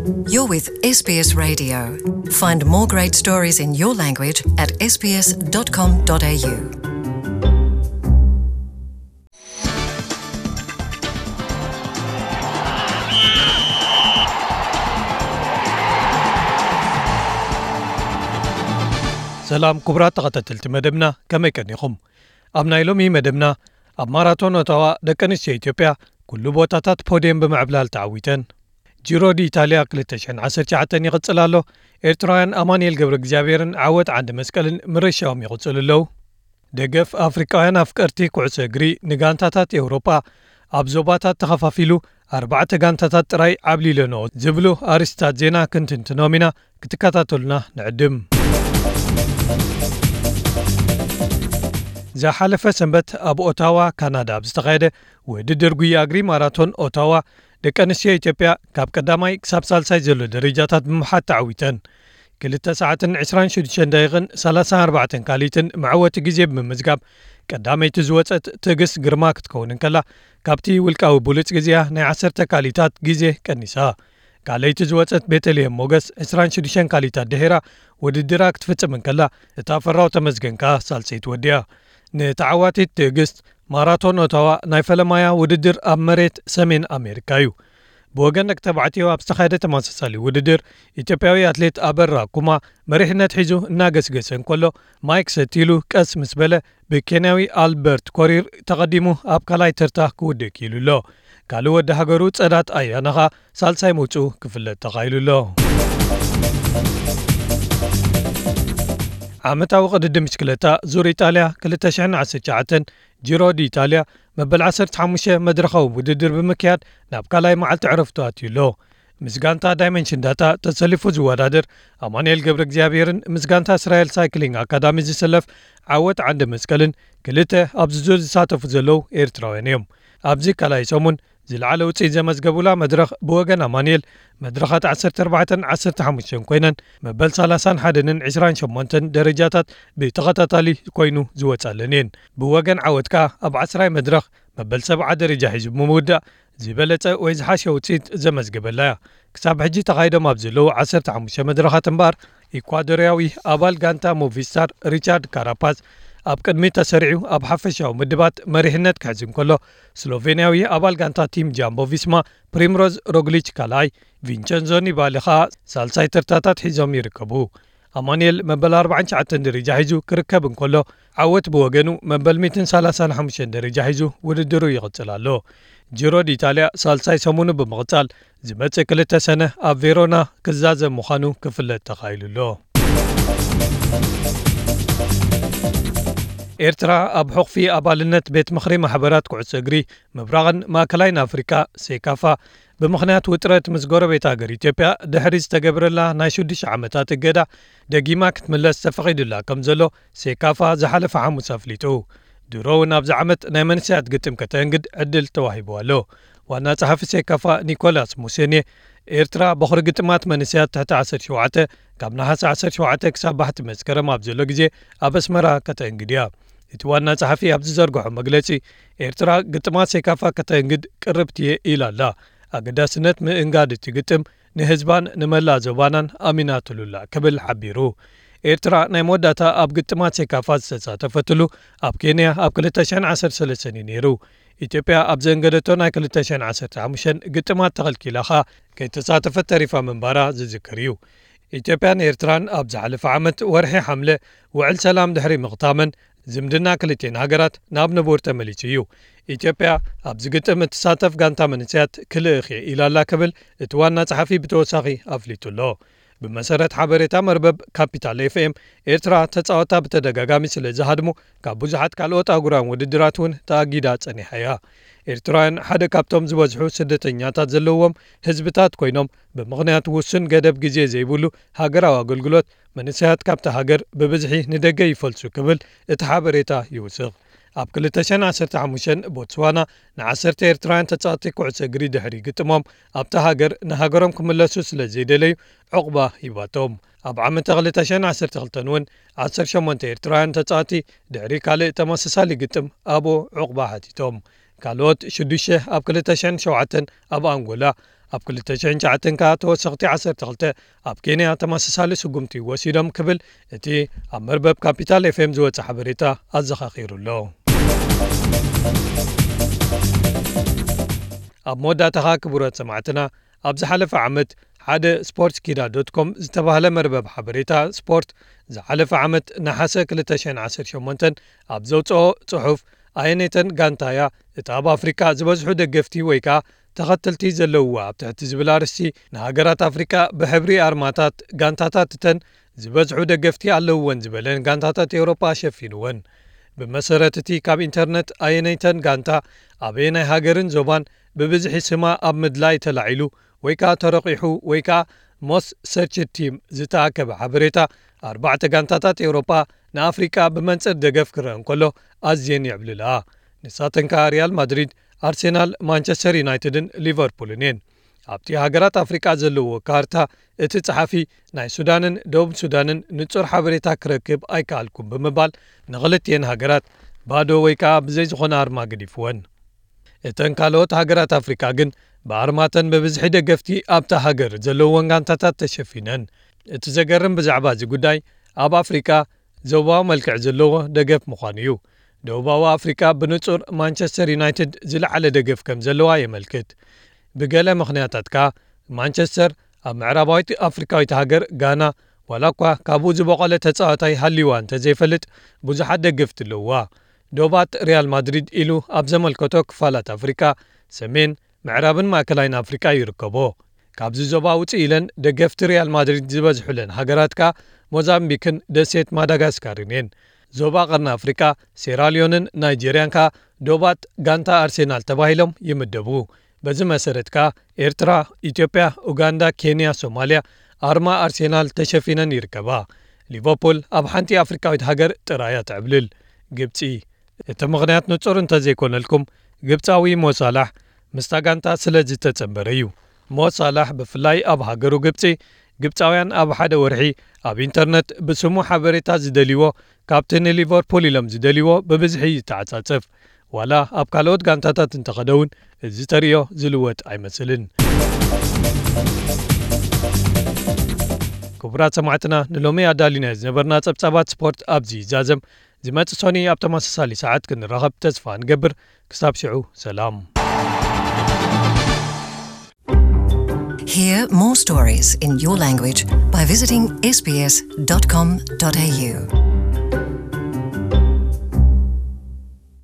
You're with S B S Radio. Find more great stories in your language at S B S dot com dot A U. ሰላም ክቡራት ተኸታተልቲ መደብና፣ ከመይ ቀኒኹም? ኣብ ናይ ሎሚ መደብና፣ ኣብ ማራቶን ኦታዋ ደቂ ኣንስትዮ ኢትዮጵያ ኩሉ ቦታታት ፖድየም ብምዕብላል ተዓዊተን። ጂሮ ዲኢታልያ ክልተ ሽሕን ዓሰርተ ትሽዓተን ይቕጽል ኣሎ። ኤርትራውያን ኣማኑኤል ገብረ እግዚኣብሔርን ዓወት ዓንዲ መስቀልን ምርሻዎም ይቕጽሉ ኣለዉ። ደገፍ ኣፍሪቃውያን ኣፍቀርቲ ኩዕሶ እግሪ ንጋንታታት ኤውሮጳ ኣብ ዞባታት ተኸፋፊሉ ኣርባዕተ ጋንታታት ጥራይ ዓብሊለንኦ ዝብሉ ኣርእስታት ዜና ክንትንትኖም ኢና። ክትከታተሉና ንዕድም። ዝሓለፈ ሰንበት ኣብ ኦታዋ ካናዳ ኣብ ዝተኻየደ ውድድር ጉያ እግሪ ማራቶን ኦታዋ ደቂ ኣንስትዮ ኢትዮጵያ ካብ ቀዳማይ ክሳብ ሳልሳይ ዘሎ ደረጃታት ብምሓዝ ተዓዊተን። ክልተ ሰዓትን ዕስራን ሽዱሽተን ደቂቕን ሰላሳን ኣርባዕተን ካልኢትን መዕወቲ ግዜ ብምምዝጋብ ቀዳመይቲ ዝወጸት ትዕግስት ግርማ ክትከውን እንከላ፣ ካብቲ ውልቃዊ ብሉጽ ግዜኣ ናይ ዓሰርተ ካልኢታት ግዜ ቀኒሳ። ካልኣይቲ ዝወጸት ቤተልሔም ሞገስ ዕስራን ሽዱሽተን ካልኢታት ድሒራ ውድድራ ክትፍጽም እንከላ፣ እታ ፈራው ተመስገን ከኣ ሳልሰይቲ ወዲኣ። ንተዓዋቲት ትዕግስት፣ ማራቶን ኦታዋ ናይ ፈለማያ ውድድር ኣብ መሬት ሰሜን ኣሜሪካ እዩ። ብወገን ደቂ ተባዕትዮ ኣብ ዝተኻየደ ተመሳሳሊ ውድድር፣ ኢትዮጵያዊ ኣትሌት ኣበራ ኩማ መሪሕነት ሒዙ እናገስገሰ እንከሎ፣ ማይክ ሰቲሉ ቀስ ምስ በለ ብኬንያዊ ኣልበርት ኮሪር ተቐዲሙ ኣብ ካልኣይ ተርታ ክውድእ ክኢሉ ኣሎ። ካልእ ወዲ ሃገሩ ጸዳት ኣያና ኸኣ ሳልሳይ ምውጽኡ ክፍለጥ ተኻኢሉ ኣሎ። ዓመታዊ ቅድድም ብሽክለታ ዙር ኢጣልያ ክልተ ሽሕን ዓሰርተ ትሽዓተን ጂሮ ዲ ኢጣልያ መበል ዓሰርተ ሓሙሽተ መድረኻዊ ውድድር ብምክያድ ናብ ካልኣይ መዓልቲ ዕረፍቱ ኣትዩ ኣሎ። ምስ ጋንታ ዳይመንሽን ዳታ ተሰሊፉ ዝወዳደር ኣማኑኤል ገብረ እግዚኣብሔርን ምስ ጋንታ እስራኤል ሳይክሊንግ ኣካዳሚ ዝሰለፍ ዓወት ዓንደ መስቀልን ክልተ ኣብዚ ዙር ዝሳተፉ ዘለዉ ኤርትራውያን እዮም። ኣብዚ ካልኣይ ሰሙን ዝለዓለ ውፅኢት ዘመዝገቡላ መድረኽ ብወገን ኣማኑኤል መድረኻት ዓሰርተ ኣርባዕተን ዓሰርተ ሓሙሽተን ኮይነን መበል ሰላሳን ሓደን ዕስራን ሸሞንተን ደረጃታት ብተኸታታሊ ኮይኑ ዝወፃለን እየን። ብወገን ዓወት ከኣ ኣብ ዓስራይ መድረኽ መበል ሰብዓ ደረጃ ሒዙ ብምውዳእ ዝበለጸ ወይ ዝሓሸ ውጽኢት ዘመዝገበላ እያ። ክሳብ ሕጂ ተኻይዶም ኣብ ዘለዉ ዓሰርተ ሓሙሽተ መድረኻት እምበኣር፣ ኢኳዶርያዊ ኣባል ጋንታ ሞቪስታር ሪቻርድ ካራፓዝ ኣብ ቅድሚት ተሰሪዑ ኣብ ሓፈሻዊ ምድባት መሪሕነት ክሕዝ እንከሎ፣ ስሎቬንያዊ ኣባል ጋንታ ቲም ጃምቦ ቪስማ ፕሪምሮዝ ሮግሊች ካልኣይ፣ ቪንቸንዞ ኒባሊ ኸኣ ሳልሳይ ተርታታት ሒዞም ይርከቡ። ኣማኑኤል መበል ኣርባዓን ትሽዓተን ደረጃ ሒዙ ክርከብ እንከሎ፣ ዓወት ብወገኑ መበል ሚእትን ሰላሳን ሓሙሽተን ደረጃ ሒዙ ውድድሩ ይቕጽል ኣሎ። ጂሮ ዲኢጣልያ ሳልሳይ ሰሙኑ ብምቕጻል፣ ዝመጽእ ክልተ ሰነ ኣብ ቬሮና ክዛዘም ምዃኑ ክፍለጥ ተኻኢሉ ኣሎ። ኤርትራ ኣብ ሕቑፊ ኣባልነት ቤት ምኽሪ ማሕበራት ኩዕሶ እግሪ ምብራቕን ማእከላይን ኣፍሪቃ፣ ሴካፋ፣ ብምኽንያት ውጥረት ምስ ጎረቤት ሃገር ኢትዮጵያ ድሕሪ ዝተገብረላ ናይ ሽዱሽተ ዓመታት እገዳ ደጊማ ክትምለስ ተፈቒዱላ ከም ዘሎ ሴካፋ ዝሓለፈ ሓሙስ ኣፍሊጡ። ድሮ እውን ኣብዚ ዓመት ናይ መንእሰያት ግጥም ከተእንግድ ዕድል ተዋሂብዋ ኣሎ። ዋና ጸሓፊ ሴካፋ ኒኮላስ ሙሴኔ፣ ኤርትራ በኹሪ ግጥማት መንእሰያት ትሕቲ ዓሰርተ ሸውዓተ ካብ ነሓሰ ዓሰርተ ሸውዓተ ክሳብ ባሕቲ መስከረም ኣብ ዘሎ ግዜ ኣብ ኣስመራ ከተእንግድ እያ። እቲ ዋና ጸሓፊ ኣብ ዝዘርግሖ መግለጺ፣ ኤርትራ ግጥማት ሴካፋ ከተእንግድ ቅርብቲ እየ ኢላ ኣላ። ኣገዳስነት ምእንጋድ እቲ ግጥም ንህዝባን ንመላእ ዞባናን ኣሚናትሉ ኣላ ክብል ሓቢሩ። ኤርትራ ናይ መወዳእታ ኣብ ግጥማት ሴካፋ ዝተሳተፈትሉ ኣብ ኬንያ ኣብ ክልተ ሽሕን ዓሰርተ ሰለስተን እዩ ነይሩ። ኢትዮጵያ ኣብ ዘእንገደቶ ናይ ክልተ ሽሕን ዓሰርተ ሓሙሽተን ግጥማት ተኸልኪላ ኸኣ ከይተሳተፈት ተሪፋ ምንባራ ዝዝከር እዩ። ኢትዮጵያን ኤርትራን ኣብ ዝሓለፈ ዓመት ወርሒ ሓምለ ውዕል ሰላም ድሕሪ ምኽታመን ዝምድና ክልቲኤን ሃገራት ናብ ንቡር ተመሊሱ እዩ። ኢትዮጵያ ኣብዚ ግጥም እትሳተፍ ጋንታ መንእሰያት ክልእኽ እየ ኢላ ኣላ ክብል እቲ ዋና ጸሓፊ ብተወሳኺ ኣፍሊጡ ኣሎ። ብመሰረት ሓበሬታ መርበብ ካፒታል ኤፍኤም፣ ኤርትራ ተጻወታ ብተደጋጋሚ ስለ ዝሃድሙ ካብ ብዙሓት ካልኦት ኣህጉራውያን ውድድራት እውን ተኣጊዳ ጸኒሓ እያ። ኤርትራውያን ሓደ ካብቶም ዝበዝሑ ስደተኛታት ዘለዎም ህዝብታት ኮይኖም፣ ብምኽንያት ውሱን ገደብ ግዜ ዘይብሉ ሃገራዊ ኣገልግሎት መንእሰያት ካብታ ሃገር ብብዝሒ ንደገ ይፈልሱ ክብል እቲ ሓበሬታ ይውስኽ። ኣብ ክልተ ሽሕን ዓሰርተ ሓሙሽተን ቦትስዋና ንዓሰርተ ኤርትራውያን ተጻወትቲ ኩዕሶ እግሪ ድሕሪ ግጥሞም ኣብታ ሃገር ንሃገሮም ክምለሱ ስለ ዘይደለዩ ዑቕባ ሂባቶም። ኣብ ዓመተ ክልተ ሽሕን ዓሰርተ ክልተን እውን ዓሰርተ ሸሞንተ ኤርትራውያን ተጻወትቲ ድሕሪ ካልእ ተመሳሳሊ ግጥም ኣብኡ ዑቕባ ሓቲቶም። ካልኦት ሽዱሽተ ኣብ ክልተ ሽሕን ሸውዓተን ኣብ ኣንጎላ፣ ኣብ ክልተ ሽሕን ትሽዓተን ከኣ ተወሰኽቲ ዓሰርተ ክልተ ኣብ ኬንያ ተመሳሳሊ ስጉምቲ ወሲዶም ክብል እቲ ኣብ መርበብ ካፒታል ኤፍኤም ዝወጸ ሓበሬታ ኣዘኻኺሩ ኣሎ። ኣብ መወዳእታኻ ክቡራት ሰማዕትና፣ ኣብ ዝሓለፈ ዓመት ሓደ ስፖርት ኪዳ ዶት ኮም ዝተባህለ መርበብ ሓበሬታ ስፖርት ዝሓለፈ ዓመት ነሓሰ ክልተ ሽሕን ዓሰርተ ሸሞንተን ኣብ ዘውጽኦ ጽሑፍ፣ ኣየነይተን ጋንታ እያ እታ ኣብ ኣፍሪቃ ዝበዝሑ ደገፍቲ ወይ ከኣ ተኸተልቲ ዘለውዋ ኣብ ትሕቲ ዝብል ኣርእስቲ ንሃገራት ኣፍሪቃ ብሕብሪ ኣርማታት ጋንታታት እተን ዝበዝሑ ደገፍቲ ኣለውወን ዝበለን ጋንታታት ኤውሮጳ ኣሸፊንወን። ብመሰረት እቲ ካብ ኢንተርነት ኣየነይተን ጋንታ ኣበየናይ ሃገርን ዞባን ብብዝሒ ስማ ኣብ ምድላይ ተላዒሉ ወይ ከኣ ተረቒሑ ወይ ከኣ ሞስ ሰርች ቲም ዝተኣከበ ሓበሬታ ኣርባዕተ ጋንታታት ኤውሮጳ ንኣፍሪቃ ብመንጽር ደገፍ ክረአ እንከሎ ኣዝየን የዕብልላ። ንሳተን ከኣ ሪያል ማድሪድ፣ ኣርሴናል፣ ማንቸስተር ዩናይትድን ሊቨርፑልን እየን። ኣብቲ ሃገራት ኣፍሪቃ ዘለዎ ካርታ እቲ ጸሓፊ ናይ ሱዳንን ደቡብ ሱዳንን ንጹር ሓበሬታ ክረክብ ኣይከኣልኩም ብምባል ንኽልቲኤን ሃገራት ባዶ ወይ ከኣ ብዘይ ዝኾነ ኣርማ ገዲፍወን። እተን ካልኦት ሃገራት ኣፍሪቃ ግን ብኣርማተን ብብዝሒ ደገፍቲ ኣብታ ሃገር ዘለወን ጋንታታት ተሸፊነን። እቲ ዘገርም ብዛዕባ እዚ ጉዳይ ኣብ ኣፍሪቃ ዞባዊ መልክዕ ዘለዎ ደገፍ ምዃኑ እዩ። ደቡባዊ ኣፍሪቃ ብንጹር ማንቸስተር ዩናይትድ ዝለዓለ ደገፍ ከም ዘለዋ የመልክት። ብገለ ምኽንያታት ከኣ ማንቸስተር ኣብ ምዕራባዊት ኣፍሪቃዊት ሃገር ጋና ዋላ እኳ ካብኡ ዝበቖለ ተጻዋታይ ሃልይዋ እንተዘይፈልጥ ብዙሓት ደገፍቲ ኣለውዋ። ዶባት ሪያል ማድሪድ ኢሉ ኣብ ዘመልከቶ ክፋላት ኣፍሪቃ ሰሜን፣ ምዕራብን ማእከላይን ኣፍሪቃ ይርከቦ። ካብዚ ዞባ ውጽእ ኢለን ደገፍቲ ሪያል ማድሪድ ዝበዝሑለን ሃገራት ከኣ ሞዛምቢክን ደሴት ማዳጋስካርን እየን። ዞባ ቀርኒ ኣፍሪቃ ሴራልዮንን ናይጄርያን ከኣ ዶባት ጋንታ ኣርሴናል ተባሂሎም ይምደቡ። በዚ መሰረት ከኣ ኤርትራ፣ ኢትዮጵያ፣ ኡጋንዳ፣ ኬንያ፣ ሶማልያ ኣርማ ኣርሴናል ተሸፊነን ይርከባ። ሊቨርፑል ኣብ ሓንቲ ኣፍሪቃዊት ሃገር ጥራይ እያ ተዕብልል፣ ግብጺ። እቲ ምኽንያት ንጹር እንተዘይኮነልኩም፣ ግብጻዊ ሞ ሳላሕ ምስታ ጋንታ ስለ ዝተጸንበረ እዩ። ሞ ሳላሕ ብፍላይ ኣብ ሃገሩ ግብጺ፣ ግብጻውያን ኣብ ሓደ ወርሒ ኣብ ኢንተርነት ብስሙ ሓበሬታ ዝደልይዎ ካብቲ ንሊቨርፑል ኢሎም ዝደልይዎ ብብዝሒ ይተዓጻጸፍ። ዋላ ኣብ ካልኦት ጋንታታት እንተኸደ እውን እዚ ተርእዮ ዝልወጥ ኣይመስልን። ክቡራት ሰማዕትና፣ ንሎሚ ኣዳሊናዮ ዝነበርና ጸብጻባት ስፖርት ኣብዚ ይዛዘም። ዝመጽእ ሶኒ ኣብ ተመሳሳሊ ሰዓት ክንራኸብ ተስፋ ንገብር። ክሳብ ሽዑ ሰላም። Hear more stories in your language by visiting S B S dot com dot A U.